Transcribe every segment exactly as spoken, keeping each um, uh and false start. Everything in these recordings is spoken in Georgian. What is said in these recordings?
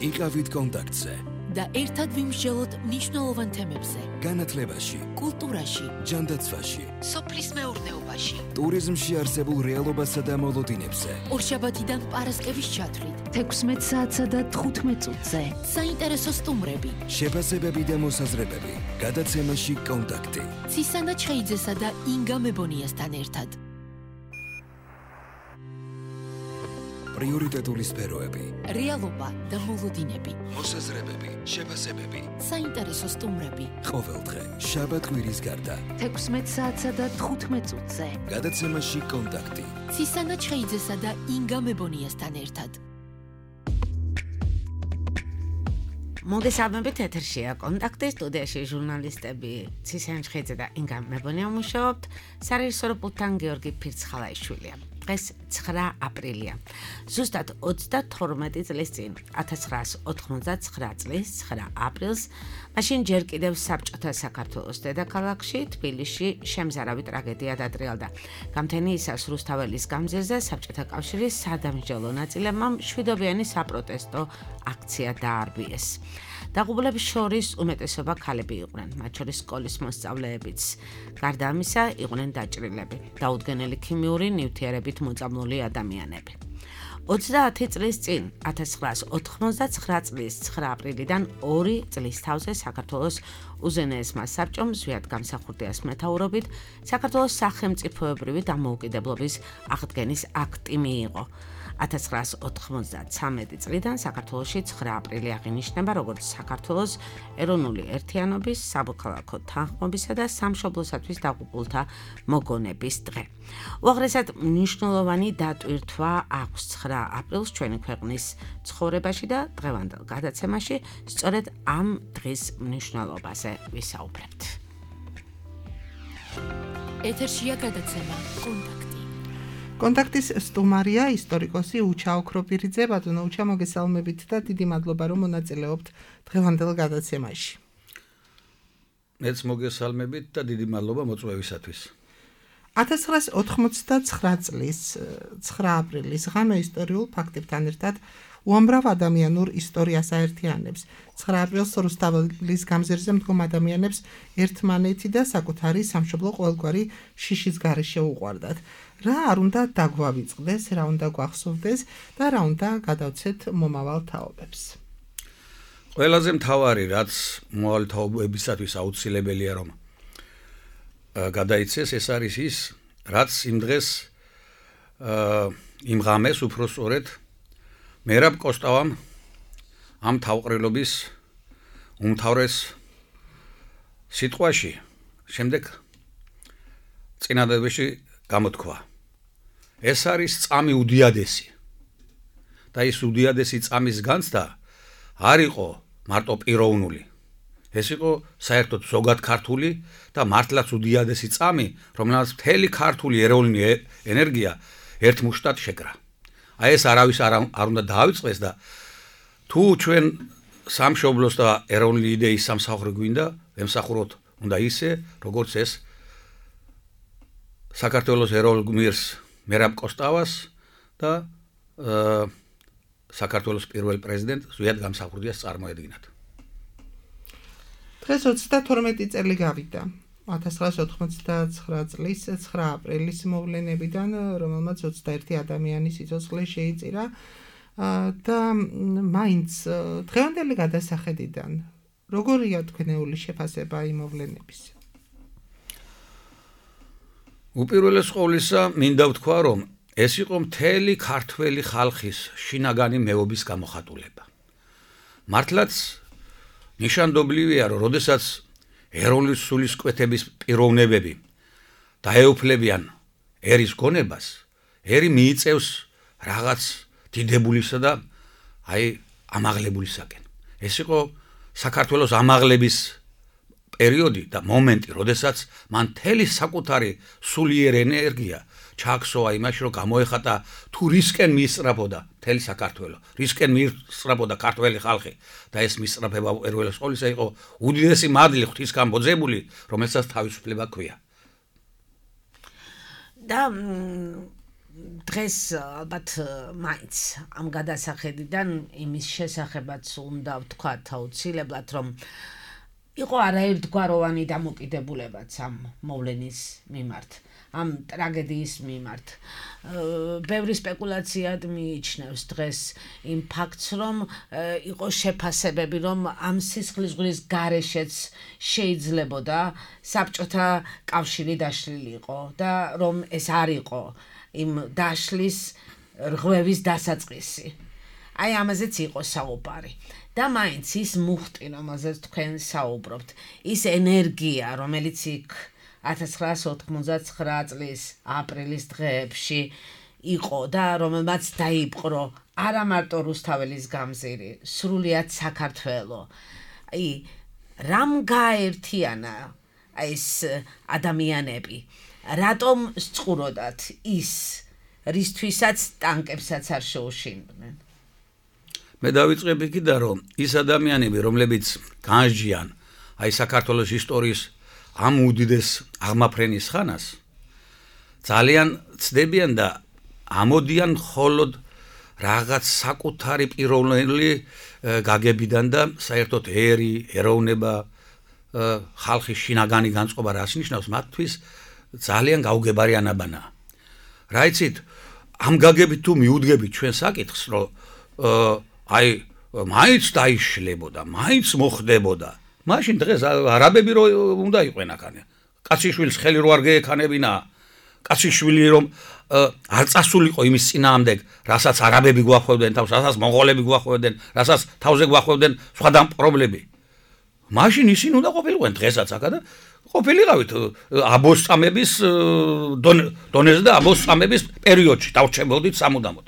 იყავით კონტაქტზე და ერთად ვიმსჯელოთ მნიშვნელოვან თემებზე. განათლებაში, კულტურაში, ჯანდაცვაში, სოფლის მეურნეობაში, ტურიზმში არსებულ რეალობასა და მოლოდინებზე. ორშაბათიდან პარასკევის ჩათვლით, თექვსმეტ საათსა და თხუთმეტ წუთზე. საინტერესო სტუმრები, შეფასებები და მოსაზრებები. გადაცემაში კონტაქტი. ცისანა ჩხეიძესა და ინგა მებონიასთან ერთად. პრიორიტეტული სფეროები. რეალობა და მოლოდინები. მოსაზრებები, შეფასებები. საინტერესო სტუმრები. ყოველდღე, შაბათ-კვირის გარდა. თექვსმეტ საათსა და თხუთმეტ წუთზე. გადაცემაში კონტაქტი. ცისანა ჩხეიძესა და ინგა მებონიასთან ერთად. მოგეს ალბებით ეთერშია კონტაქტი, სტუდიაში ჟურნალისტები ცისანა ჩხეიძე და ინგა მებონია მუშაობთ, სარეჟისორო პულტთან გიორგი ფირცხალაიშვილია. დღეს ცხრა აპრილია. ზუსტად ოცდათორმეტი წლის წინ, ათას ცხრაას ოთხმოცდაცხრა წლის ცხრა აპრილს, მაშინ ჯერ კიდევ საბჭოთა საქართველოს დედაქალაქში, თბილისში შემზარავი ტრაგედია დატრიალდა. გამთენიისას რუსთაველის გამზირზე საბჭოთა კავშირის სადამსჯელო ნაწილებმა მშვიდობიანი საპროტესტო აქცია დაარბიეს. დაღუპულების შორის უმეტესობა ქალები იყვნენ, მათ შორის სკოლის მოსწავლეებიც. გარდა ამისა, იყვნენ დაჭრილები, დაუდგენელი ქიმიური ნივთიერებით მოწამლული ადამიანები. ოცდაათი წლის წინ, ათას ცხრაას ოთხმოცდაცხრა წლის ცხრა აპრილიდან ორი წლის თავზე საქართველოს უზენაესმა საბჭომ ზვიად გამსახურდიას მეთაურობით საქართველოს სახელმწიფოებრივი დამოუკიდებლობის აღდგენის აქტი მიიღო. ათას ცხრაას ოთხმოცდათვრამეტი წლიდან საქართველოში ცხრა აპრილი აღინიშნება როგორც საქართველოს ეროვნული ერთიანობის, სამოქალაქო თანხმობისა და სამშობლოსათვის დაღუპულთა მოგონების დღე. უაღრესად მნიშვნელოვანი დატვირთვა აქვს ცხრა აპრილს ჩვენი ქვეყნის ცხოვრებაში და დღევანდელ გადაცემაში სწორედ ამ დღის მნიშვნელობაზე ვისაუბრებთ. ეთერშია გადაცემა კონტაქტი. კონტაქტის სტუმარია ისტორიკოსი უჩა ოქროპირიძე. ბატონო უჩა, მოგესალმებით და დიდი მადლობა რომ მონაწილეობთ დღევანდელ გადაცემაში. მეც მოგესალმებით და დიდი მადლობა მოწვევისათვის. ათას ცხრაას ოთხმოცდაცხრა წლის ცხრა აპრილის ღამე ისტორიულ ფაქტებთან ერთად უამრავ ადამიანურ ისტორიას აერთიანებს. ცხრა აპრილს რუსთაველის გამზირზე მდგომ ადამიანებს ერთმანეთი და საკუთარი სამშობლო ყოველგვარი შიშის გარეშე უყვარდათ. რა არ უნდა დაგვავიწყდეს, რა უნდა გვახსოვდეს და რა უნდა გადავცეთ მომავალ თაობებს. ყველაზე მთავარი, რაც მომავალი თაობებისათვის აუცილებელია რომ გადაიცეს, ეს არის ის, რაც იმ დღეს იმ ღამეს უფრო სწორედ მერაბ კოსტავამ ამ თავყრილობის უმთავრეს სიტყვაში შემდეგ წინადადებაში გამოთქვა. ეს არის წამი უდიადესი და ის უდიადესი წამის განცდა არ იყო მარტო პიროვნული. ეს იყო საერთოდ ზოგად ქართული და მართლაც უდიადესი წამი, რომელსაც მთელი ქართული ეროვნული ენერგია ერთ მუშტად შეკრა. აი ეს არავის არ უნდა დაავიწყდეს და თუ ჩვენ სამშობლოს და ეროვნული იდეის სამსახური გვინდა, ემსახუროთ უნდა ისე, როგორც ეს საქართველოს ეროვნულ გმირს მერაბ კოსტავას და საქართველოს პირველ პრეზიდენტ ზვიად გამსახურდიას წარმოედგინათ. დღეს ოცდათორმეტი წელი გავიდა. ათას ცხრაას ოთხმოცდაცხრა წლის ცხრა აპრილის მოვლენებიდან, რომელმაც ოცდაერთი ადამიანის სიცოცხლე შეიწირა და მაინც დღევანდელი გადასახედიდან როგორია თქვენეული შეფასება იმ მოვლენების? უპირველეს ყოვლისა, მინდა ვთქვა, რომ ეს იყო მთელი ქართველი ხალხის შინაგანი მეობის გამოხატულება. მართლაც ნიშანდობლივია, რომ როდესაც ეროვნული სულისკვეთების პიროვნებები დაეუფლებიან ერის გონებას, ერი მიიწევს რაღაც დიდებულისა და აი ამაღლებულისაკენ. ეს იყო საქართველოს ამაღლების პერიოდი და მომენტი, როდესაც მან მთელი საკუთარი სულიერ ენერგია ჩააქსოვა იმაში, რომ გამოეხატა თუ რისკენ მიისწრაფოდა მთელი საქართველო, რისკენ მიისწრაფოდა ქართველი ხალხი და ეს მისწრაფება პირველის ყოვლისა იყო უდიდესი მადლი ღვთისგან მოძებული, რომელსაც თავისუფლება ჰქვია. და დღეს ალბათ მაინც ამ გადასახედიდან იმის შესახებაც უნდა ვთქვათ აუცილებლად, რომ იყო არაერთგვაროვანი დამოკიდებულებაც ამ მოვლენის მიმართ, ამ ტრაგედიის მიმართ. ბევრი სპეკულაციად მიიჩნევს დღეს იმ ფაქტს, რომ იყო შეფასებები, რომ ამ სისხლისღვრის გარეშეც შეიძლებოდა საბჭოთა კავშირი დაშლილი იყო და რომ ეს არ იყო იმ დაშლის რღვევის დასაწყისი. აი ამაზეც იყო საუბარი. და მაინც ის მუხტი, რომელზეც თქვენ საუბრობთ, ის ენერგია, რომელიც იქ ათას ცხრაასი ოთხმოცდათცხრა წლის აპრილის დღეებში იყო და რომელმაც დაიპყრო არა მარტო რუსთაველის გამზირი, სრულიად საქართველო. აი რამ გააერთიანა ეს ადამიანები? რატომ სწუროდათ ის, რისთვისაც ტანკებსაც არ შეუშინდნენ? მე დავიწყებ იქიდან, რომ ის ადამიანები, რომლებიც განსჯიან აი საქართველოს ისტორიის ამ უდიდეს აღმაფრენის ხანას, ძალიან ცდებიან და ამოდიან მხოლოდ რაღაც საკუთარი პიროვნული გაგებიდან და საერთოდ ერი, ეროვნება, ხალხის შინაგანი განწყობა რას ნიშნავს, მათთვის ძალიან გაუგებარი ანაბანაა. რა იცით, ამ გაგებით თუ მიუდგებით ჩვენ საკითხს, რომ აი მაინც დაიშლებოდა, მაინც მოხდებოდა. მაშინ დღეს არაბები რო უნდა იყვენ აქ. კაციშვილს ხელი რო არ გეექანებინა, კაციშვილი რომ არ წასულიყო იმის წინააღმდეგ, რასაც არაბები გვახვევდნენ თავს, რასაც მონღოლები გვახვევდნენ, რასაც თავზე გვახვევდნენ სხვა დამპყრობლები. მაშინ ისინი უნდა ყოფილიყვენ დღესაც აქ და ყოფილიყავით აბოს წამების დონეზე და აბოს წამების პერიოდში დავრჩებოდით სამუდამოდ.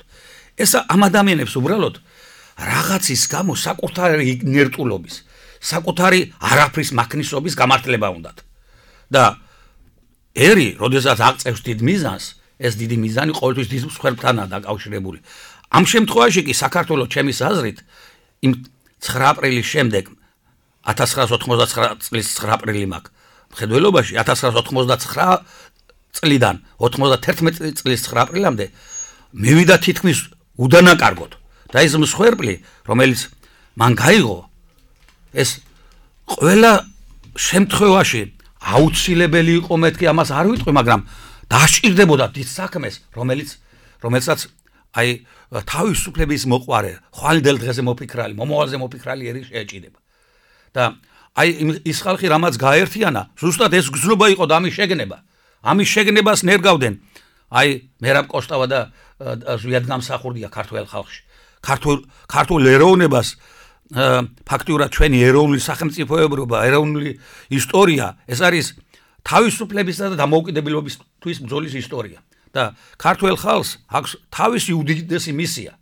ეს ამ ადამიანებს უბრალოდ რაღაცის გამო საკუთარი ნერტულობის, საკუთარი არაფრის მაქნისობის გამართლება უნდათ. და ერი, როდესაც აღწევს დიდ მიზანს, ეს დიდი მიზანი ყოველთვის დიდ მსხვერპლთანაა დაკავშირებული. ამ შემთხვევაში კი საქართველოს ჩემის აზრით იმ ცხრა აპრილის შემდეგ ათას ცხრაასი ოთხმოცდათცხრა წლის ცხრა აპრილი მაქვს. მხედველობაში ათას ცხრაასი ოთხმოცდათცხრა წლიდან ოთხმოცდათერთმეტი წლის ცხრა აპრილამდე მივიდა თითქმის უდანაკარგოდ და ეს მსხვერპლი, რომელიც მან გაიღო, ეს ყველა შემთხვევაში აუცილებელი იყო, მეთქი ამას არ ვიტყვი, მაგრამ დასჭირდებოდა დიდ საქმეს, რომელიც რომელსაც აი თავისუფლების მოყვარე, ხვალინდელ დღეზე მოფიქრალი, მომავალზე მოფიქრალი ერი შეეჭიდება. და აი ის ხალხი რამაც გაერთიანა, ზუსტად ეს გზნობა იყო და ამის შეგნება. ამის შეგნებას ნერგავდნენ აი მერაბ კოსტავა და ზვიად გამსახურდია ქართველ ხალხში. ქართულ ქართულ ეროვნებას ფაქტიურად ჩვენი ეროვნული სახელმწიფოებრობა, ეროვნული ისტორია, ეს არის თავისუფლებისა და დამოუკიდებლობისთვის ბრძოლის ისტორია. და ქართველ ხალხს აქვს თავისი უდიდესი მისია.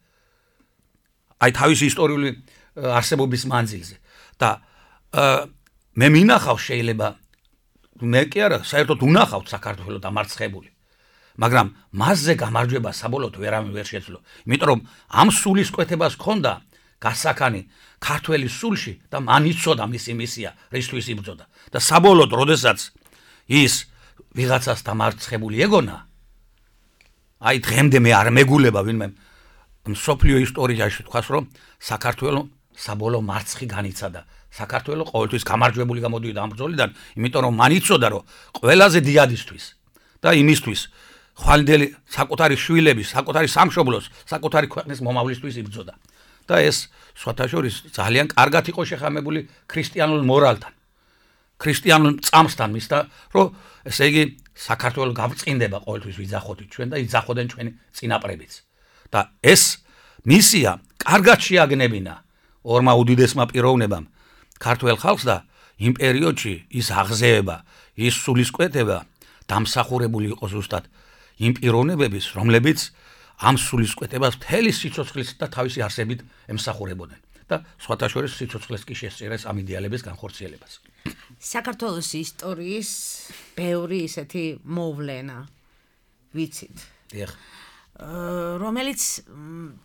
აი თავისი ისტორიული არსებობის მანძილზე. და მე მინახავს შეიძლება მე კი არა, საერთოდ უნახავთ საქართველოს დამარცხებული. მაგრამ მასზე გამარჯვება საბოლოოდ ვერავინ ვერ შეძლო. იმიტომ რომ ამ სულისკვეთებას ჰქონდა გასახანი ქართველის სულში და მან იცოდა მისი მისია, რისთვის იბრძოდა. და საბოლოოდ, როდესაც ის ვიღაცას დამარცხებული ეგონა, აი დღემდე მე არ მეგულება ვინმე მსოფლიო ისტორიაში თქვას, რომ საქართველოს საბოლოო მარცხი განიცადა. საქართველოს ყოველთვის გამარჯვებული გამოდიოდა ამ ბრძოლიდან, იმიტომ რომ მან იცოდა, რომ ყველაზე დიადისთვის და იმისთვის ხვალინდელი საკუთარი შვილების, საკუთარი სამშობლოს, საკუთარი ქვეყნის მომავლისთვის იბრძოდა. და ეს სხვათა შორის ძალიან კარგად იყო შეხამებული ქრისტიანულ მორალთან. ქრისტიანულ წამსთან მისდა, რომ ესე იგი საქართველოს გავწყინდება ყოველთვის ვიძახოდით ჩვენ და იძახოდნენ ჩვენი წინაპრებიც. და ეს მისია კარგად შეაგნებინა ორმა უდიდესმა პიროვნებამ ქართველ ხალხს და იმ პერიოდში ის აღზევება, ის სულისკვეთება დამსახურებული იყო ზუსტად იმ პიროვნებების, რომლებიც ამ სულისკვეთებას მთელი სიცოცხლით და თავისი არსებით ემსახურებოდნენ. და სხვათა შორის სიცოცხლეს კი შესწირეს ამ იდეალების განხორციელებას. საქართველოს ისტორიის ბევრი ისეთი მოვლენა ვიცით. დიახ. რომელიც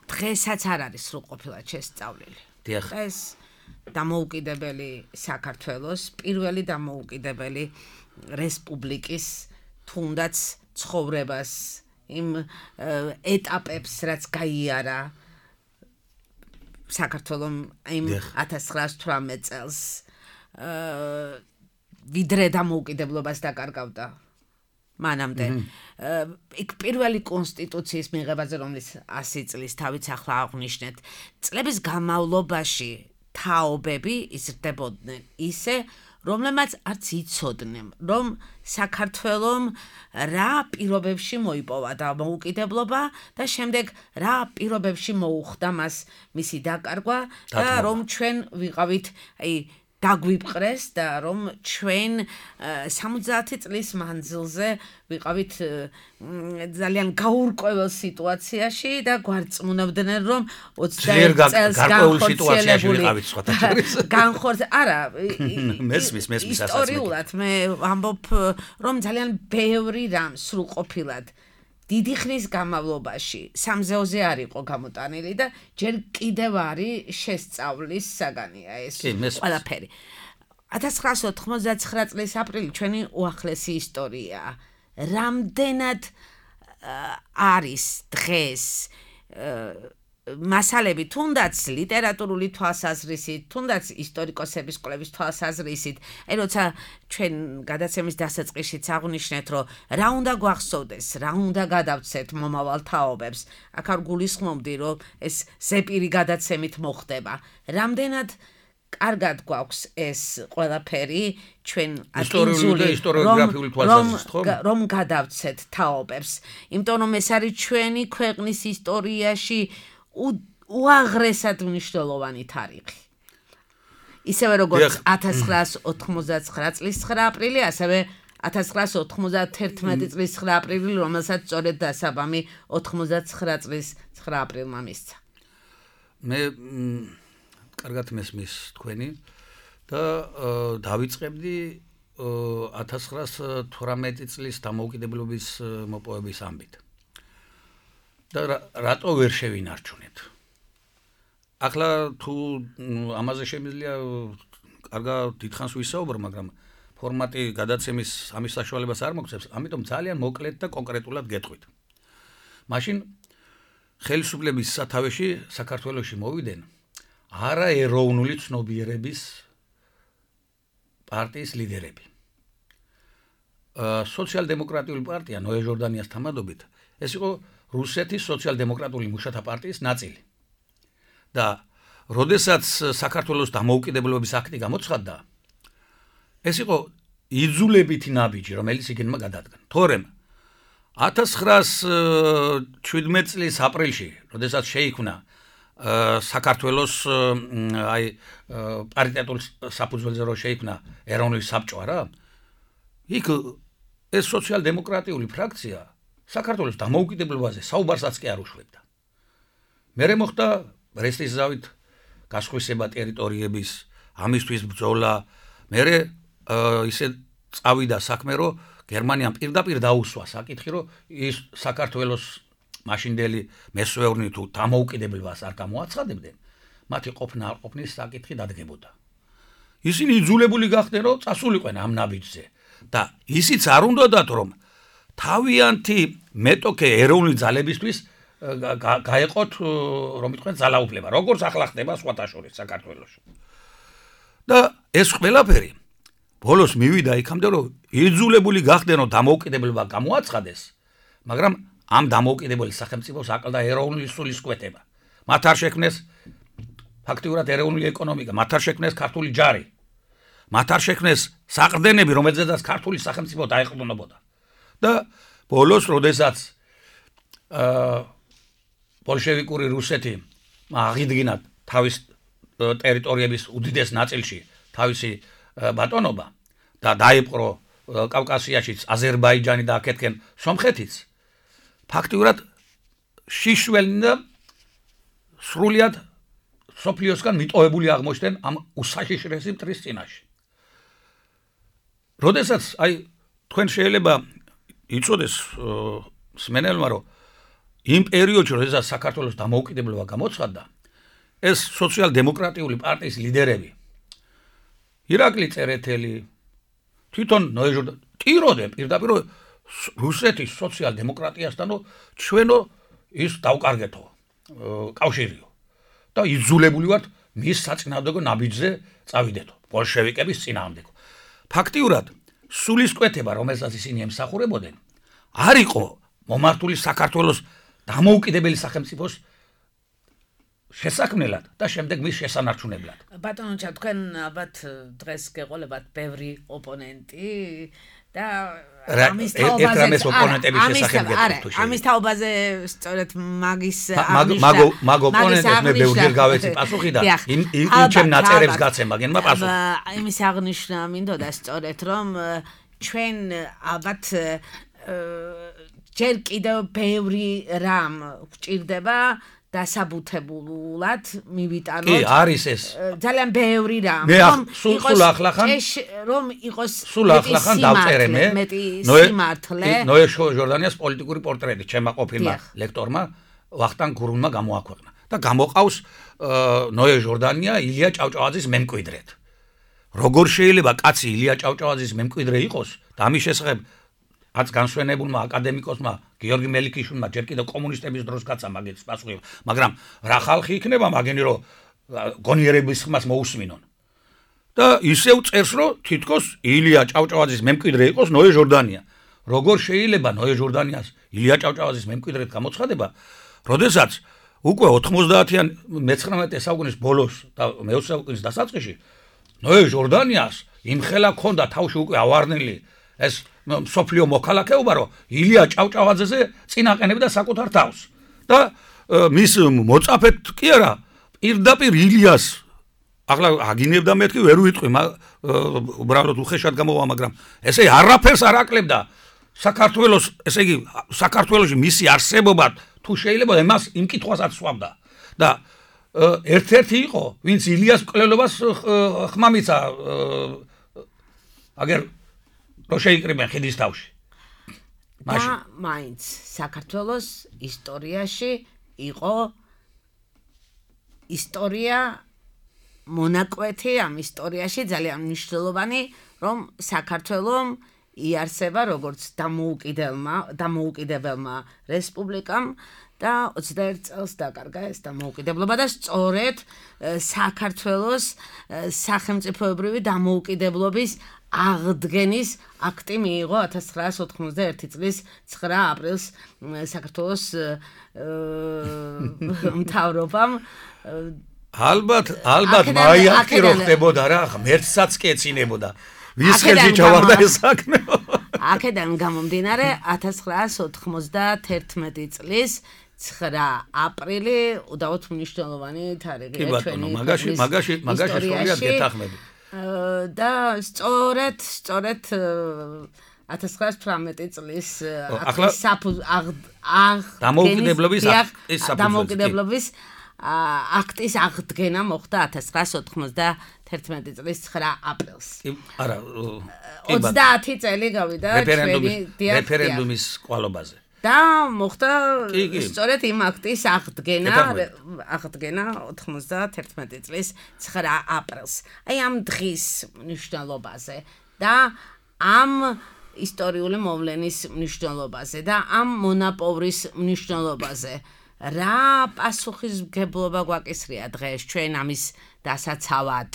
დღესაც არ არის სრულყოფილად შესწავლილი. დიახ. ეს დამოუკიდებელი საქართველოს პირველი დამოუკიდებელი რესპუბლიკის თუნდაც ცხოვრებას იმ ეტაპებს, რაც გაიარა საქართველომ იმ ათას ცხრაას თვრამეტ წელს ვიდრე დამოუკიდებლობას დაკარგავდა მანამდე. იქ პირველი კონსტიტუციის მიღებაზე, რომლის ასი წლის თავიც ახლა აღვნიშნეთ, წლების განმავლობაში თაობები იზრდებოდნენ ისე, რომლებმაც არც იცოდნენ, რომ საქართველომ რა პირობებში მოიპოვა დამოუკიდებლობა და შემდეგ რა პირობებში მოუხდა მას მისი დაკარგვა და რომ ჩვენ ვიყავით, აი დაგვიპყრეს და რომ ჩვენ სამოცდაათი წლის მანძილზე ვიყავით ძალიან გაურკვეველ სიტუაციაში და გვარწმუნებდნენ რომ ოცდაერთი წელს განხორციელებული განხორც არა მესმის მესმის ისტორიულად მე ვამბობ რომ ძალიან ბევრი რამ სრულყოფილად დიდი ხნის განმავლობაში სამზეოზე არ იყო გამოტანილი და ჯერ კიდევ არის შესწავლის საგანია ეს ყველაფერი. ათას ცხრაას ოთხმოცდაცხრა წლის აპრილი ჩვენი უახლესი ისტორიაა. რამდენად არის დღეს მასალები თუნდაც ლიტერატურული თვალსაზრისით, თუნდაც ისტორიკოსების კვლევის თვალსაზრისით, აი როცა ჩვენ გადაცემის დასაწყისშიც აღვნიშნეთ, რომ რა უნდა გვახსოვდეს, რა უნდა გადავცეთ მომავალ თაობებს, აქ არ გულისხმობდი, რომ ეს ზეპირი გადაცემით მოხდება. რამდენად კარგად გვაქვს ეს ყველაფერი ჩვენ ისტორიული და ისტორიოგრაფიული თვალსაზრისით, ხო? რომ გადავცეთ თაობებს, იმიტომ რომ ეს არის ჩვენი ქვეყნის ისტორიაში უაღრესად მნიშვნელოვანი თარიღი. ისევე როგორც ათას ცხრაას ოთხმოცდაცხრა წლის ცხრა აპრილი, ასევე ათას ცხრაას ოთხმოცდაათერთმეტი წლის ცხრა აპრილი, რომელსაც სწორედ დასაბამი ოთხმოცდაცხრა წლის ცხრა აპრილმა მისცა. მე კარგად მესმის თქვენი და დავიწყებდი ათას ცხრაას თვრამეტი წლის დამოუკიდებლობის მოპოვების ამბით. და რატო ვერ შევინარჩუნეთ? ახლა თუ ამაზე შემიძლია კარგად დიდხანს ვისაუბრო, მაგრამ ფორმატი გადაცემის ამის საშუალებას არ მოგცემს, ამიტომ ძალიან მოკლედ და კონკრეტულად გეტყვით. მაშინ ხელისუფლების სათავეში საქართველოში მოვიდნენ არაეროვნული ცნობიერების პარტიის ლიდერები. სოციალ-დემოკრატიული პარტია ნოე ჟორდანიას თამადობით ეს იყო რუსეთის სოციალ-დემოკრატიული მუშათა პარტიის ნაწილი. და როდესაც საქართველოს დამოუკიდებლობის აქტი გამოცხადდა, ეს იყო იძულებითი ნაბიჯი, რომელიც იგენმა გადადგა. თორემ ათას ცხრაას შვიდმეტ წლის აპრილში, როდესაც შეიქმნა საქართველოს აი პარიტეტულ საფუძველზე რო შეიქმნა ეროვნული საბჭო, არა? იქ ეს სოციალ-დემოკრატიული ფრაქცია საქართველოს დამოუკიდებლობაზე საუბარსაც კი არ უშვებდა. მერე მოხდა ბრესტის ზავით გასხვისება ტერიტორიების, ამისთვის ბრძოლა, მერე ისე წავიდა საქმე, რომ გერმანიამ პირდაპირ დაუსვა საკითხი, რომ ის საქართველოს მაშინდელი მესვეურნი თუ დამოუკიდებლობას არ გამოაცხადებდნენ, მათი ყოფნა არ ყოფნის საკითხი დადგებოდა. ისინი იძულებული გახდნენ, რომ წასულიყვენ ამ ნაბიჯზე და ისიც არ უნდათ, რომ თავიანთი მეტოქე ეროვნული ძალებისთვის გაეყოთ, რომ იტყვენ ძალაუფლება, როგორც ახლა ხდება სხვათა შორის საქართველოში. და ეს ყველაფერი ბოლოს მივიდა იქამდე, რომ იძულებული გახდნენ, რომ დამოუკიდებლობა გამოაცხადეს, მაგრამ ამ დამოუკიდებელი სახელმწიფოს აკლდა ეროვნული სულისკვეთება. მათ არ შექმნეს ფაქტიურად ეროვნული ეკონომიკა, მათ არ შექმნეს ქართული ჯარი, მათ არ შექმნეს საყრდენები, რომელზედაც ქართული სახელმწიფო დაეყრდნობოდა. და ბოლოს, როდესაც ბოლშევიკური რუსეთი აღიდგინა თავის ტერიტორიების უდიდეს ნაწილში თავისი ბატონობა და დაიპყრო კავკასიაშიც აზერბაიჯანი და აქეთკენ სომხეთიც, ფაქტიურად შიშველი და სრულიად სოფლიოსგან მიტოვებული აღმოჩნდნენ ამ უსაშიშრესი მტრის წინაშე. როდესაც აი თქვენ შეიძლება იცოდეს სმენელმა, რომ იმ პერიოდში, როდესაც საქართველოს დამოუკიდებლობა გამოცხადდა, ეს სოციალ-დემოკრატიული პარტიის ლიდერები, ირაკლი წერეთელი, თვითონ ნოე ჟორდანი, ტიროდნენ პირდაპირ, რომ რუსეთის სოციალ-დემოკრატიასთანო ჩვენო ის დავკარგეთო კავშირიო და იძულებული ვართ მის საწინააღმდეგო ნაბიჯზე წავიდეთო ბოლშევიკების წინააღმდეგო. ფაქტიურად სულისკვეთება, რომელსაც ისინი ემსახურებოდნენ, არ იყო მომართული საქართველოს დამოუკიდებელი სახელმწიფოს შესაქმნელად და შემდეგ მის შესანარჩუნებლად. ბატონო, თქვენ ალბათ დღეს გეყოლებათ ბევრი ოპონენტი და ამის თაობაზე ეს ოპონენტების შესახებ გეტყვით. ამის თაობაზე სწორედ მაგის მაგო მაგო ოპონენტებს მე ბევრჯერ გავეცი პასუხი და იმ იმ ჩემ ნაწერებს გაცემა გენმა პასუხი. იმის აღნიშნა მინდოდა სწორედ რომ ჩვენ ალბათ ჯერ კიდევ ბევრი რამ გვჭირდება დასაბუთებულად მივიტანოთ. კი, არის ეს. ძალიან ბევრი რამ. რომ სულ ახლახან რომ იყოს სულ ახლახან დავწერე მე. სიმართლე. ნოე ჟორდანიას პოლიტიკური პორტრეტი ჩემმა ყოფილმა ლექტორმა ვახტანგ გურუნმა გამოაქვეყნა და გამოყავს ნოე ჟორდანია ილია ჭავჭავაძის მემკვიდრედ. როგორ შეიძლება კაცი ილია ჭავჭავაძის მემკვიდრე იყოს და ამის შესახებ აც განსვენებულმა აკადემიკოსმა გიორგი მელიქიშვილმა ჯერ კიდევ კომუნისტების დროს გაცა მაგის პასუხი, მაგრამ რა ხალხი იქნება მაგენი რომ გონიერების ხმას მოусმინონ. და ისევ წერს რომ თითქოს ილია ჭავჭავაძის მემკვიდრე იყოს ნოე ჟორდანია. როგორ შეიძლება ნოე ჟორდანიას ილია ჭავჭავაძის მემკვიდრედ გამოცხადება, როდესაც უკვე ოთხმოცდაათიან მეცხრამეტე საუკუნის ბოლოს და მეოცე საუკუნის დასაწყისში ნოე ჟორდანიას იმხელა ქონდა თავში უკვე ავარნელი ეს სოფლიო მოქალაქეობა რომ ილია ჭავჭავაძეზე წინაყენებდა საკუთარ თავს და მის მოწაფეთ კი არა პირდაპირ ილიას ახლა აგინებდა მეთქი ვერ ვიტყვი უბრალოდ უხეშად გამოვა მაგრამ ესე არაფერს არ აკლებდა საქართველოს ესე იგი საქართველოში მისი არსებობა თუ შეიძლება მას იმ კითხვასაც სვამდა და ერთ-ერთი იყო ვინც ილიას მკვლელობას ხმამიცა აგერ რო შეიკრიბენ ხიდის თავში. მაშინ მაინც საქართველოს ისტორიაში იყო ისტორია მონაკვეთი ამ ისტორიაში ძალიან მნიშვნელოვანი რომ საქართველოს იარსება როგორც დამოუკიდებელმა დამოუკიდებელმა რესპუბლიკამ და ოცდაერთ წელს დაკარგა ეს დამოუკიდებლობა და სწორედ საქართველოს სახელმწიფოებრივი დამოუკიდებლობის აღდგენის აქტი მიიღო ათას ცხრაასი ოთხმოცდაერთი წლის ცხრა აპრილს საქართველოს მთავრობამ ალბათ ალბათ მაიაკი რო ხდებოდა რა ღმერთსაც კი ეცინებოდა ვის ხელში ჩავარდა ეს საქმე აქედან გამომდინარე ათას ცხრაასი ოთხმოცდაათერთმეტი წლის ცხრა აპრილი უდავოდ მნიშვნელოვანი თარიღია ჩვენი მაგაში მაგაში მაგაში სწორად გეთახმები და სწორედ სწორედ ათას ცხრაასი თვრამეტი წლის დამოუკიდებლობის დამოუკიდებლობის აქტის აღდგენა მოხდა ათას ცხრაასი ოთხმოცდაათერთმეტი წლის ცხრა აპრილს. არა, ოცდაათი წელი გავიდა ჩვენი რეფერენდუმის კვალობაზე. და მოხდა სწორედ იმ აქტის აღდგენა აღდგენა ოთხმოცდაათერთმეტი წლის ცხრა აპრილს. აი ამ დღის მნიშვნელობაზე და ამ ისტორიული მოვლენის მნიშვნელობაზე და ამ მონაპოვრის მნიშვნელობაზე რა პასუხისმგებლობა გვაკისრია დღეს ჩვენ ამის დასაცავად?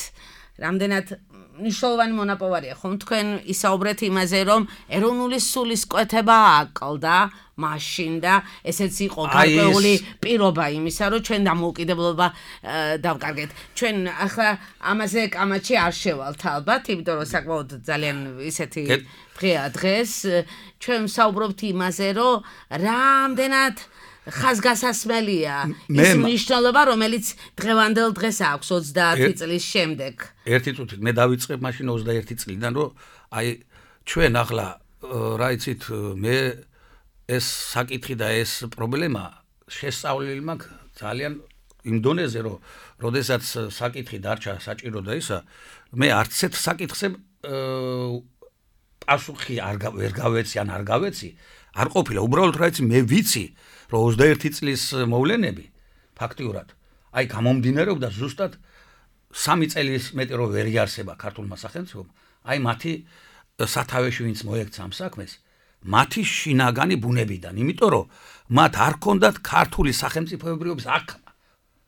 რამდენად მნიშვნელოვანი მონაპოვარია ხომ თქვენ ისაუბრეთ იმაზე რომ ეროვნული სულისკვეთება აკლდა მაშინ და ესეც იყო გარკვეული პირობა იმისა რომ ჩვენ დამოუკიდებლობა დავკარგეთ. ჩვენ ახლა ამაზე კამათში არ შევალთ ალბათ, იმიტომ რომ საკმაოდ ძალიან ისეთი დღეა დღეს ჩვენ ვსაუბრობთ იმაზე რომ რამდენად ხაზგასასმელია ის მნიშვნელობა რომელიც დღევანდელ დღეს აქვს ოცდაათი წლის შემდეგ. ერთი წუთი მე დავიწყებ მაშინ ოცდაერთი წლიდან რომ აი ჩვენ ახლა რა იცით მე ეს საკითხი და ეს პრობლემა შესწავლილი მაქვს ძალიან იმ დონეზე რომ როდესაც საკითხი დარჩა საჭირო და ისა მე არც ერთ საკითხზე პასუხი არ ვერ გავეცი ან არ გავეცი არ ყოფილა უბრალოდ რა იცი მე ვიცი რომ ოცდაერთი წლის მოვლენები ფაქტიურად აი გამომდინარეობდა ზუსტად სამი წელის მეტი რომ ვერ იარსება ქართულმა სახელმწიფომ აი მათი სათავეში ვინც მოექცა ამ საქმეს მათი შინაგანი ბუნებიდან, იმიტომ რომ მათ არ ჰქონდათ ქართული სახელმწიფოებრიობის აქ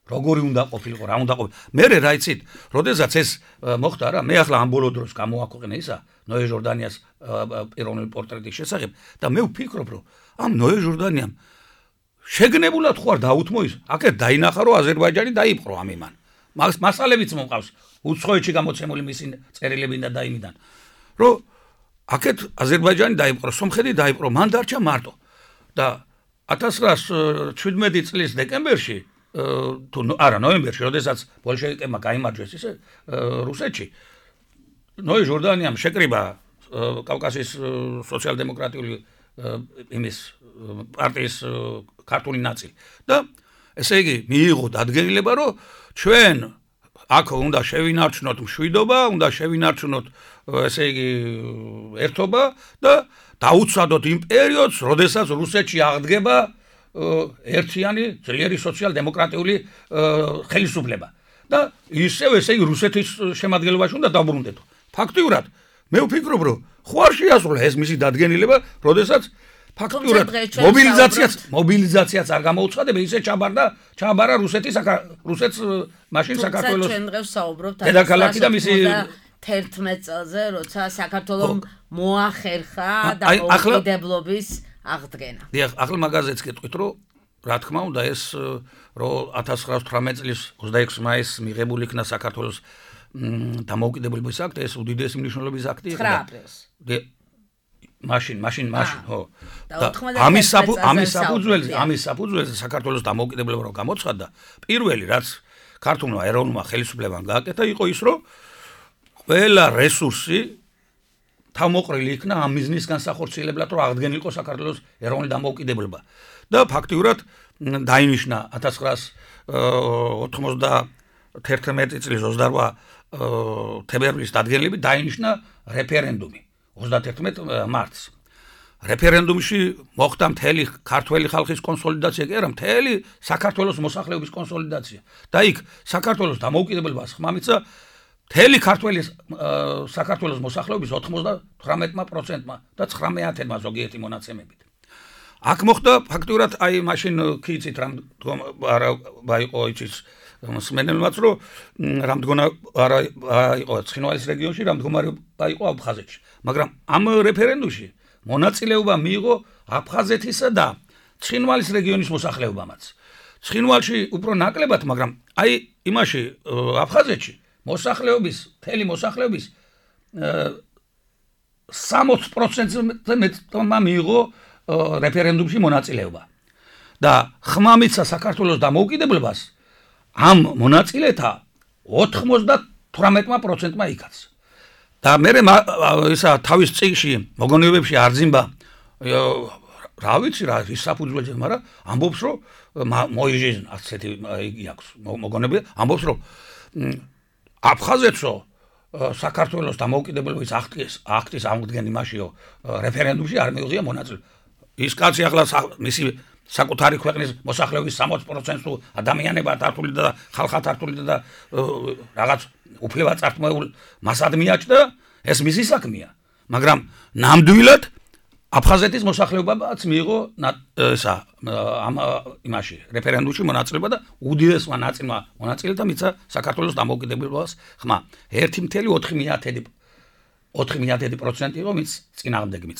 როგორი უნდა ყოფილიყო, რა უნდა ყოფილიყო. მე რა იცით, როდესაც ეს მოხდა რა, მე ახლა ამ ბოლო დროს გამოვაქვეყნე ისა ნოე ჟორდანიას პიროვნული პორტრეტის შესახებ და მე ვფიქრობ, რომ ამ ნოე ჟორდანიამ შეგნებულად ხო არ დაუთმო ის, აქეთ დაინახა, რომ აზერბაიჯანი დაიპყრო ამ იმან. მას მასალებიც მომყავს, უცხოეთში გამოცემული მისი წერილებიდან და იმიდან, რომ აქეთ აზერბაიჯანი დაიპყრო, სომხეთი დაიპყრო, მან დარჩა მარტო. და ათას რვაას შვიდმეტი წლის დეკემბერში თუ არა ნოემბერში, როდესაც ბოლშევიკებმა გაიმარჯვეს ისე რუსეთში, ნოე ჟორდანიამ შეკრიბა კავკასიის სოციალ-დემოკრატიული იმის პარტიის ქართული ნაწილი და ესე იგი მიიღო დადგენილება, რომ ჩვენ აქ უნდა შევინარჩუნოთ მშვიდობა, უნდა შევინარჩუნოთ ესე იგი ერთობა და დაუცადოთ იმ პერიოდს, როდესაც რუსეთში აღდგება ერთიანი ძლიერი სოციალ-დემოკრატიული ხელისუფლება და ისევ ესე იგი რუსეთის შემადგენლობაში უნდა დაბრუნდეთ. ფაქტიურად მე ვფიქრობ, რომ ხო არ შეასრულა ეს მისი დადგენილება, როდესაც ფაქტიურად მობილიზაციაც მობილიზაციაც არ გამოუცხადება, ისე ჩაბარდა ჩაბარა რუსეთის რუსეთს მაშინ საქართველოს ჩვენ დღეს საუბრობთ დედაქალაქი და მისი თერთმეტ წელზე, როცა საქართველოს მოახერხა დამოუკიდებლობის აღდგენა. დიახ, ახლა მაგაზეც გეტყვით, რომ რა თქმა უნდა ეს რომ ათას ცხრაას თვრამეტ წლის ოცდაექვსი მაისს მიღებული იქნა საქართველოს დამოუკიდებლობის აქტი, ეს უდიდესი მნიშვნელობის აქტი იყო. ცხრა აპრილს. მაშინ, მაშინ, მაშინ, ხო. და ამის ამის საფუძველზე, ამის საფუძველზე საქართველოს დამოუკიდებლობა რო გამოცხადდა, პირველი რაც ქართულმა ეროვნულმა ხელისუფლებამ გააკეთა იყო ის, რომ ყველა რესურსი თავმოყრილი იქნა ამ მიზნის განსახორციელებლად, რომ აღდგენილიყო საქართველოს ეროვნული დამოუკიდებლობა. და ფაქტიურად დაინიშნა ათას ცხრაას ოცდათერთმეტი წლის ოცდარვა თებერვლის დადგენილებით დაინიშნა რეფერენდუმი ოცდათერთმეტ მარტს. რეფერენდუმში მოხდა მთელი ქართველი ხალხის კონსოლიდაცია, კი არა, მთელი საქართველოს მოსახლეობის კონსოლიდაცია. და იქ საქართველოს დამოუკიდებლობას ხმა მისცა მთელი ქართველი საქართველოს მოსახლეობის ოცდათვრამეტ პროცენტმა და ცხრამეტმა ზოგიერთი მონაცემებით. აქ მოხდა ფაქტურად აი მაშინ ქიცით რამ არა იყო იცის მსმენელმაც, რომ რამდგონა არა იყო ცხინვალის რეგიონში, რამდგომარეობა იყო აფხაზეთში. მაგრამ ამ რეფერენდუმში მონაწილეობა მიიღო აფხაზეთისა და ცხინვალის რეგიონის მოსახლეობამაც. ცხინვალში უფრო ნაკლებად, მაგრამ აი იმაში აფხაზეთში მოსახლეობის, მთელი მოსახლეობის სამოც პროცენტზე მეტმა მიიღო რეფერენდუმში მონაწილეობა. და ხმა მისცა საქართველოს დამოუკიდებლობას ამ მონაწილეთა ოცდათვრამეტ პროცენტმა იქაც. და მე ისა თავის წიგნში მოგონებებში არძიმბა რა ვიცი რა ის საფუძველზე, მაგრამ ამბობს, რომ მოიჟინ ასეთი იგი აქვს მოგონები, ამბობს, რომ აფხაზეთსო საქართველოს დამოუკიდებლობის აქტის აქტის აღდგენა იმაშიო რეფერენდუმში არ მიიღია მონაწილეობა. ის კაცი ახლა მისი საკუთარი ქვეყნის მოსახლეობის სამოც პროცენტს თუ ადამიანებად თართული და ხალხად თართული და რაღაც უფლება წართმოებულ მასად მიაჭდა, ეს მისი საქმეა. მაგრამ ნამდვილად აფხაზეთის მოსახლეობაც მიიღო ესა ამ იმაში რეფერენდუმში მონაწილეობა და უდიდესმა ნაწილმა მონაწილეთა მისცა საქართველოს დამოუკიდებლობას ხმა. ერთი წუთი ოთხი პროცენტი იყო მის წინააღმდეგმიც.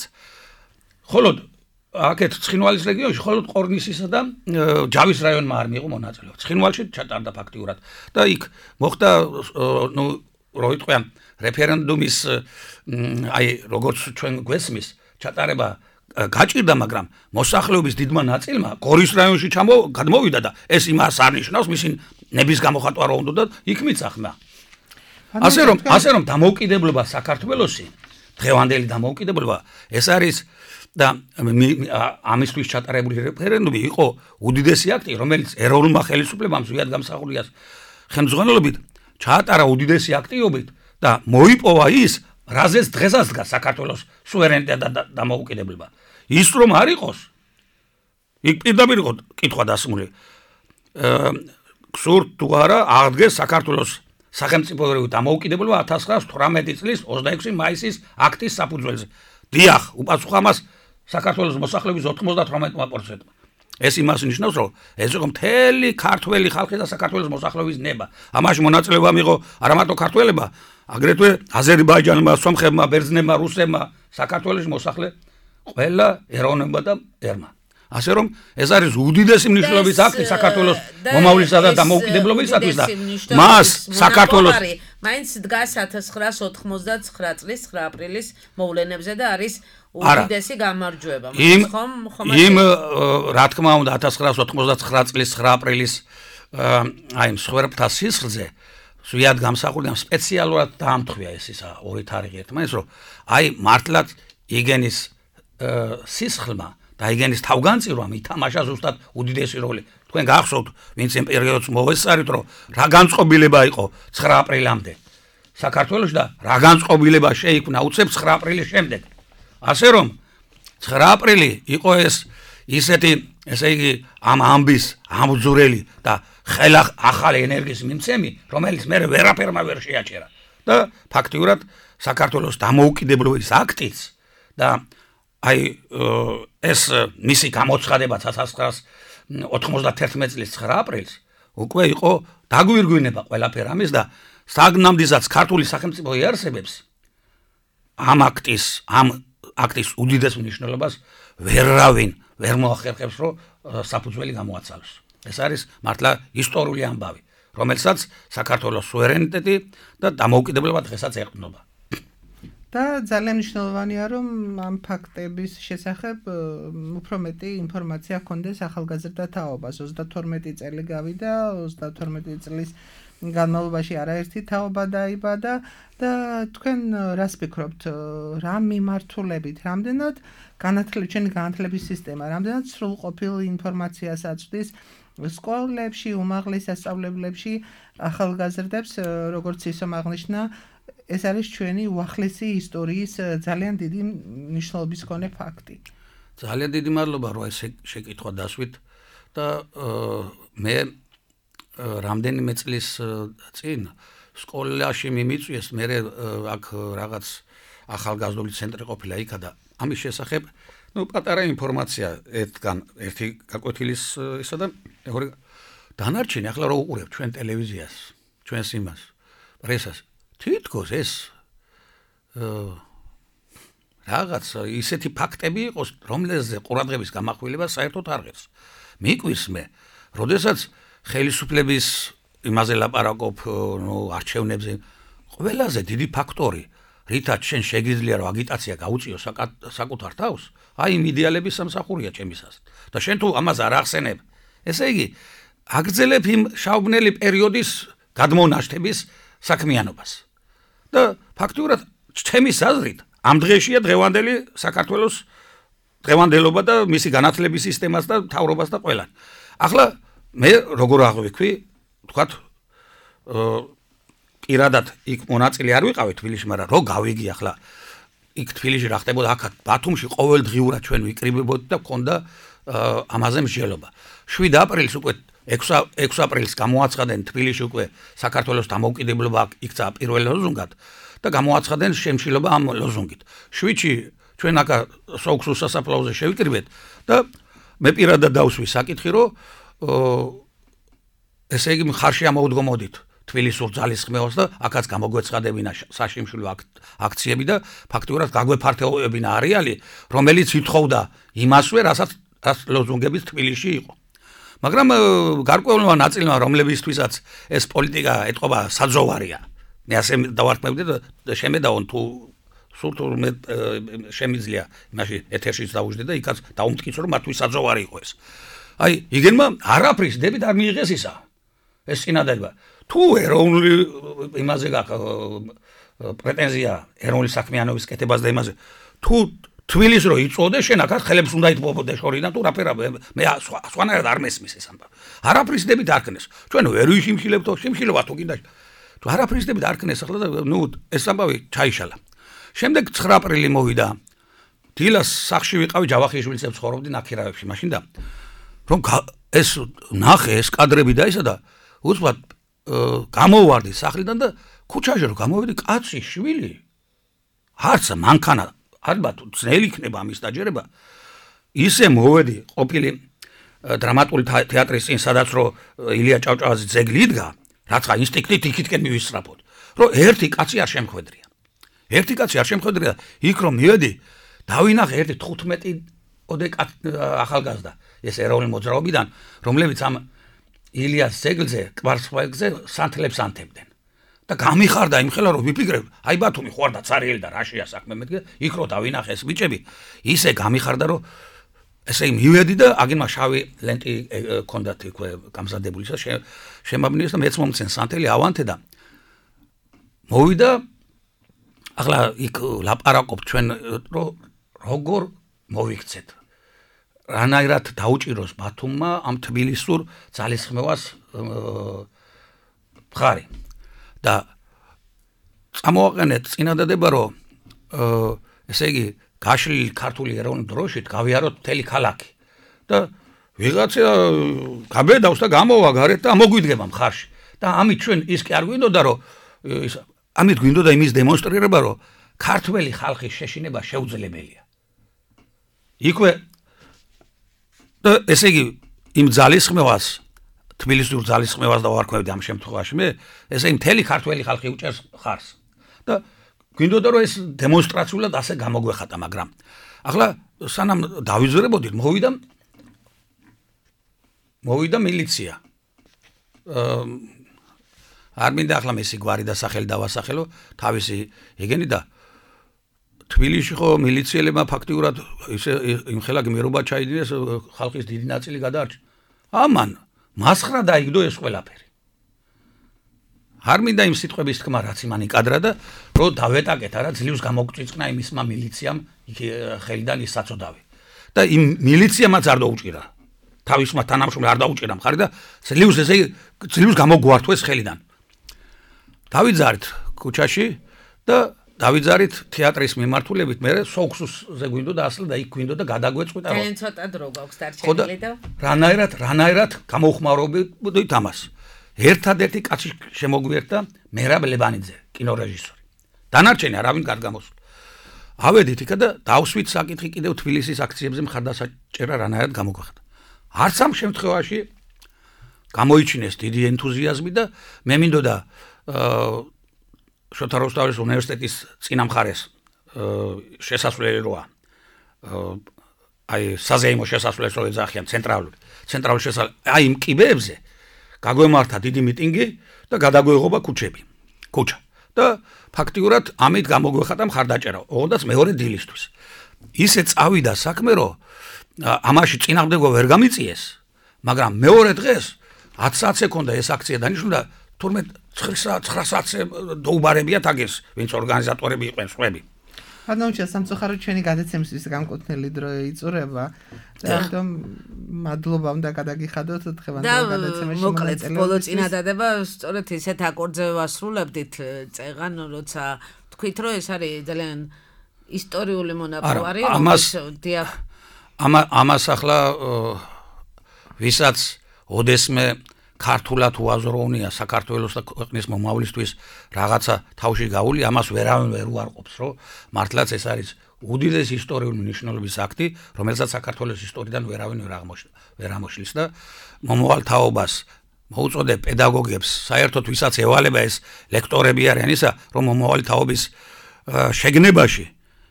ხოლო აქეთ ცხინვალის რეგიონში მხოლოდ ყორნისისა და ჯავის რაიონმა არ მიიღო მონაწილეობა. ცხინვალში ჩატარდა ფაქტიურად და იქ მოხდა ნუ რო იტყვიან რეფერენდუმის აი როგორც ჩვენ გვესმის ჩატარება გაჭირდა, მაგრამ მოსახლეობის დიდმა ნაწილმა გორის რაიონში გადმოვიდა და ეს იმას არ ნიშნავს მისი ნების გამოხატვა რო უნდა და იქ მიცა ხმა. ასე რომ ასე რომ დამოუკიდებლობა საქართველოსი, დღევანდელი დამოუკიდებლობა ეს არის და ამისთვის ჩატარებული რეფერენდუმი იყო უდიდესი აქტი, რომელიც ეროვნულმა ხელისუფლებამ ზუსტად გამსახურდიას ხელმძღვანელობით ჩაატარა უდიდესი აქტიობით და მოიპოვა ის, რაზეც დღესაც დგას საქართველოს სუვერენიტეტი და დამოუკიდებლობა. ის რომ არ იყოს, იქ პირდაპირ იყო კითხვა დასმული. გსურთ თუ არა აღდგეს საქართველოს სახელმწიფოებრივი დამოუკიდებლობა ათას ცხრაას თვრამეტი წლის ოცდაექვსი მაისის აქტის საფუძველზე. დიახ, უპასუხო ამას საქართველოს მოსახლეობის ოცდაოთხ პროცენტმა. ეს იმას ნიშნავს, რომ ეს იყო მთელი ქართველი ხალხი და საქართველოს მოსახლეობის ნება. ამაში მონაწილეობა მიიღო არა მარტო ქართველებმა, აგრეთვე აზერბაიჯანმა, სომხებმა, ბერძნებმა, რუსებმა, საქართველოს მოსახლე ყველა ეროვნებმა და ერმა. ასე რომ ეს არის უდიდესი მნიშვნელობის აქტი საქართველოს მომავლისა და დამოუკიდებლობისათვის და მას საქართველოს მაინც დგას ათას ცხრაას ოთხმოცდაცხრა წლის ცხრა აპრილის მოვლენებზე და არის უდიდესი გამარჯვება. იმ იმ რა თქმა უნდა ათას ცხრაას ოთხმოცდაცხრა წლის ცხრა აპრილის აი მსხვერპლთა სისხლზე ზვიად გამსახურდა სპეციალურად დაამთხვია ეს ისა ორი თარიღი ერთმანეთს რომ აი მართლაც იგენის სისხლმა და იგენის თავგანწირვამ ითამაშა ზუსტად უდიდესი როლი. თქვენ გახსოვთ, ვინც იმ პერიოდს მოესწარით, რომ რა განწყობილება იყო ცხრა აპრილამდე საქართველოში და რა განწყობილება შეიქმნა უცებ ცხრა აპრილის შემდეგ. ასე რომ ცხრა აპრილი იყო ეს ისეთი, ესე იგი, ამ ამბის ამბძვრელი და ხელა ახალი ენერგიის მიმცემი, რომელიც მე ვერაფერმა ვერ შეაჩერა. და ფაქტიურად საქართველოს დამოუკიდებლობის აქტიც და აი ეს მისი გამოცხადება ათას ცხრაას ოთხმოცდაერთმეტ წლის ცხრა აპრილს უკვე იყო დაგვირგვინება ყველაფერ ამის და საგნამდესაც ქართული სახელმწიფო იარსებებს ამ აქტის ამ აქტის უდიდეს მნიშვნელობას ვერავინ ვერ მოახერხებს რომ საფუძველი გამოაცალოს. ეს არის მართლა ისტორიული ამბავი, რომელსაც საქართველოს სუვერენიტეტი და დამოუკიდებლობა დღესაც ეყრდნობა. და ძალიან მნიშვნელოვანია რომ ამ ფაქტების შესახებ უფრო მეტი ინფორმაცია ჰქონდეს ახალგაზრდა თაობას. ოცდათორმეტი წელი გავიდა, ოცდათორმეტი წლის განმავლობაში არაერთი თაობა დაიბადა და თქვენ რას ფიქრობთ, რა მიმართულებით, რამდენად განათლების ჩვენი განათლების სისტემა, რამდენად სრულყოფილ ინფორმაციას აწვდის სკოლებში, უმაღლეს სასწავლებლებში ახალგაზრდებს, როგორც ისომ აღნიშნა, ეს არის ჩვენი უახლესი ისტორიის ძალიან დიდი მნიშვნელობის მქონე ფაქტი. ძალიან დიდი მადლობა რომ ეს შეკითხვა დასვით და მე რამდენიმე წლის წინ სკოლაში მიმიწვიეს, მე აქ რაღაც ახალგაზრდული ცენტრი ყოფილა იქა და ამის შესახებ ну პატარა ინფორმაცია ერთგან ერთი გაკვეთილის ისა და მეორე დანარჩენი ახლა რო უყურებ ჩვენ ტელევიზიას, ჩვენს იმას, პრესას თითქოს ეს რაღაც ისეთი ფაქტები იყოს, რომელზე ყურადღების გამახვილება საერთოდ არ ღირს. მიკვირს მე, როდესაც ხელისუფლების იმაზე ლაპარაკობ, ნუ არჩევნებზე, ყველაზე დიდი ფაქტორი, რითაც შენ შეგიძლია რომ აგიტაცია გაუწიო საკუთარ თავს, აი იმ იდეალების სამსახურია ჩემისას. და შენ თუ ამას არ ახსენებ, ესე იგი, აგრძელებ იმ შავბნელი პერიოდის გადმონაშთების საქმიანობას. და ფაქტურად ჩემის აზრით ამ დღეშია დღევანდელი საქართველოს დღევანდელობა და მისი განათლების სისტემას და მთავრობას და ყველან. ახლა მე როგორ აღვიქვი, თქვათ პირადად იქ მონაწილე არ ვიყავი თბილისში, მაგრამ რო გავიგი ახლა იქ თბილისში რა ხდებოდა აქ ბათუმში ყოველდღიურად ჩვენ ვიკრიბებოდი და მქონდა ამაზე მსჯელობა. შვიდ აპრილს უკვე ექვსი აპრილს გამოაცხადნენ თბილისში უკვე საქართველოს დამოუკიდებლობა იქცა პირველ ლოზუნგად და გამოაცხადნენ შემშილობა ამ ლოზუნგით. შვიდში ჩვენ აქ სოუქსუს სასაფლაოზე შევიკრიბეთ და მე პირადად დავსვი საკითხი, რომ ესე იგი მხარში ამოვდგომოდით თბილისურ ძალისხმევას და აქაც გამოგვეცხადებინა საშიმშილო აქციები და ფაქტურად გაგვეფართოვებინა არეალი, რომელიც ითხოვდა იმასვე, რასაც ლოზუნგების თბილისში იყო. მაგრამ გარკვეულმა ნაწილმა, რომლებისთვისაც ეს პოლიტიკა ეთყობა საძოვარია, მე ასე დავარქმევდი და შემედაონ თუ სულ მე შემიძლია იმაში ეთერშიც დავუждდი და იქაც დაუმტკიცო რომ მათთვის საძოვარი იყო ეს. აი, იგენმა არაფრის დებით არ მიიღეს ისა. ეს წინადადება. თუ ეროვნული იმაზე გაქვს პრეტენზია ეროვნული საქმიანობის კეთებას და იმაზე, თუ თბილის რო იწოდე, შენ აქ ხელებს უნდა იტყობოდე შორიდან თუ რაფერა მე სხვანაირად არ მესმის ეს ამბავი. არაფრის დებით არ ქნეს. ჩვენ ვერ ვიშიმშილებთო, შიმშილობა თუ კიდე. თუ არაფრის დებით არ ქნეს ახლა და ნუ ეს ამბავი ჩაიშალა. შემდეგ ცხრა აპრილი მოვიდა. დილას სახში ვიყავი ჯავახიშვილს ცხოვრობდი ნაქირავებში მაშინ და რომ ეს ნახე ეს კადრები და ისა და უცბად გამოვარდი სახლიდან და ქუჩაში რომ გამოვედი კაცი შვილი არც მანქანა ალბათ ძნელი იქნება ამის დაჯერება ისე მოვედი ყოფილი დრამატული თეატრის წინ, სადაც რო ილია ჭავჭავაძის ძეგლი იდგა, რაცა ინსტინქტით იქითკენ მივისწრაფოთ, რომ ერთი კაცი არ შემხვედრია. ერთი კაცი არ შემხვედრია, იქ რომ მივედი, დავინახე ერთი თხუთმეტი ოდე ახალგაზრდა, ეს ეროვნული მოძრაობიდან, რომლებიც ამ ილიას ძეგლზე, კვარცხლბეკზე სანთლებს ანთებდნენ. და გამიხარდა იმხელა რომ ვიფიქრებ, აი ბათუმი ხო არ და ცარიელი და რაშია საქმე მეთქე, იქ რო დავინახე ეს ბიჭები, ისე გამიხარდა რომ ესე მივედი და აგინმა შავი ლენტი ჰქონდათ იქვე გამზადებული და შემაბნიეს და მეც მომცენ სანთელი ავანთე და მოვიდა ახლა იქ ლაპარაკობ ჩვენ რომ როგორ მოვიქცეთ რანაირად დაუჭიროს ბათუმმა ამ თბილისურ ძალისხმევას მხარი და წამოვაყენეთ წინადადება რომ ესე იგი გაშლილი ქართული ეროვნული დროშით გავიაროთ მთელი ქალაქი და ვიღაცა გაბედავს და გამოვა გარეთ და მოგვიდგება მხარში და ამით ჩვენ ის კი არ გვინდოდა რომ ამით გვინდოდა იმის დემონსტრირება რომ ქართველი ხალხის შეშინება შეუძლებელია იქვე და ესე იგი იმ ძალისხმევას თბილისურ ძალისხმევას და ვარქმევდი ამ შემთხვევაში მე ესე მთელი ქართველი ხალხი უჭერს ხარს და გვინდოდა რომ ეს დემონსტრაციულად ასე გამოგვეხატა მაგრამ ახლა სანამ დავიზრებოდით მოვიდა მოვიდა მილიცია არ მინდა ახლა მესი გვარი და სახელი დავასახელო თავისი იგენი და თბილისში ხო მილიციელებმა ფაქტიურად ისე იმხელა გმირობა ჩაიდინეს ხალხის დიდი ნაწილი გადაარჩა ამან მასხრა დაიგდო ეს ყველაფერი არ მინდა იმ სიტყვების თქმა რაც იმან იკადრა და რომ დავეტაკეთ არა ძლივს გამოგვწიწყნა იმისმა მილიციამ ხელიდან ის საწოდავი და იმ მილიციამაც არ დაუჭირა თავისმა თანამშრომლებს არ დაუჭირა მხარი და ძლივს ესე ძლივს გამოგვართვეს ხელიდან დავიძარით ქუჩაში და დავიძარით თეატრის მიმართულებით მე სოქსუსზე გვინდოდა ასლა და იქ გვინდოდა გადაგვეწყვიტა რომ ძალიან ცოტა დრო გვაქვს დარჩენილი და რანაირად რანაირად გამოხმარობდით ამას ერთადერთი კაცი შემოგვიერთა მერაბ ლებანიძე კინორეჟისორი დანარჩენი არავინ არ გამოსულა ავედით იქა და დავსვით საკითხი კიდევ თბილისის აქციებზე მხარდასაჭერა რანაირად გამოგვახდა არც ამ შემთხვევაში გამოიჩინეს დიდი ენთუზიაზმი და მე მინდოდა შოთა რუსთაველის უნივერსიტეტის წინამხარეს შესასვლელი როა აი საზეიმო შესასვლელს რო ეძახიან ცენტრალური ცენტრალური შესასვლელი აი იმ კიბეებზე გაგვემართა დიდი მიტინგი და გადაგვეღობა ქუჩები ქუჩა და ფაქტიურად ამით გამოგვეხატა მხარდაჭერა ოღონდაც მეორე დილისთვის ისე წავიდა საქმე რომ ამაში წინააღმდეგობა ვერ გამიწიეს მაგრამ მეორე დღეს ათი საათს ეკონდა ეს აქცია დანიშნულა თურმე ცხრა საათზე დაუბარებიათ აგეს ვინც ორგანიზატორები იყვნენ სხვები ანუ სამწუხაროდ ჩვენი გადაცემისთვის განკუთვნილი დრო იწურება და ამიტომ მადლობა უნდა გადაგიხადოთ დღევანდელ გადაცემაში მოკლედ ბოლო წინადადება სწორედ ისეთ აკორდზე ვასრულებდით წეღან როცა თქვით რომ ეს არის ძალიან ისტორიული მონაპოვარი ამას ამას ახლა ვისაც ოდესმე ქართულად უაზროვნია საქართველოს და ქვეყნის მომავლისთვის რაღაცა თავში გაული ამას ვერავინ ვერ უარყოფს რომ მართლაც ეს არის უდიდესი ისტორიული მნიშვნელობის აქტი რომელსაც საქართველოს ისტორიიდან ვერავინ ვერ აღმოჩნდა ვერ ამოშლის და მომავალ თაობას მოუწოდებ პედაგოგებს საერთოდ ვისაც ევალება ეს ლექტორები არიან ისა რომ მომავალი თაობის შეგნებაში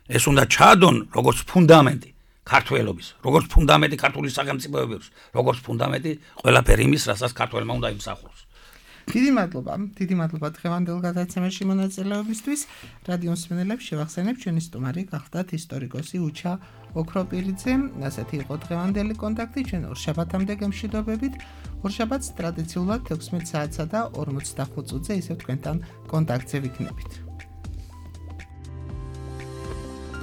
ეს უნდა ჩაადონ როგორც ფუნდამენტი ქართველობის, როგორც ფუნდამენტი ქართული სახელმწიფოების, როგორც ფუნდამენტი ყველაფერი იმის, რასაც ქართველმა უნდა იმსახუროს. დიდი მადლობა, დიდი მადლობა დღევანდელ გადაცემაში მონაწილეობისთვის. რადიო მსმენელებს შევახსენებ ჩვენი სტუმარი გახდათ ისტორიკოსი უჩა ოქროპირიძე. ასეთი იყო დღევანდელი კონტაქტი ჩვენ ორშაბათამდე გემშვიდობებით. ორშაბათს ტრადიციულად თექვსმეტ საათსა და ორმოცდახუთ წუთზე ისევ თქვენთან კონტაქტზე ვიქნებით.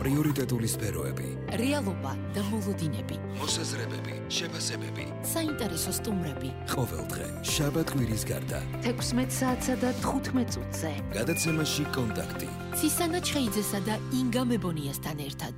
პრიორიტეტული სფეროები, რეალობა და მოლოდინები, მოსაზრებები, შეფასებები, საინტერესო სტუმრები. ყოველდღე შაბათ-კვირის გარდა თექვსმეტ საათსა და თხუთმეტ წუთზე. გადაცემაში კონტაქტი. ცისანა ჩხეიძესა და ინგა მებონიასთან ერთად.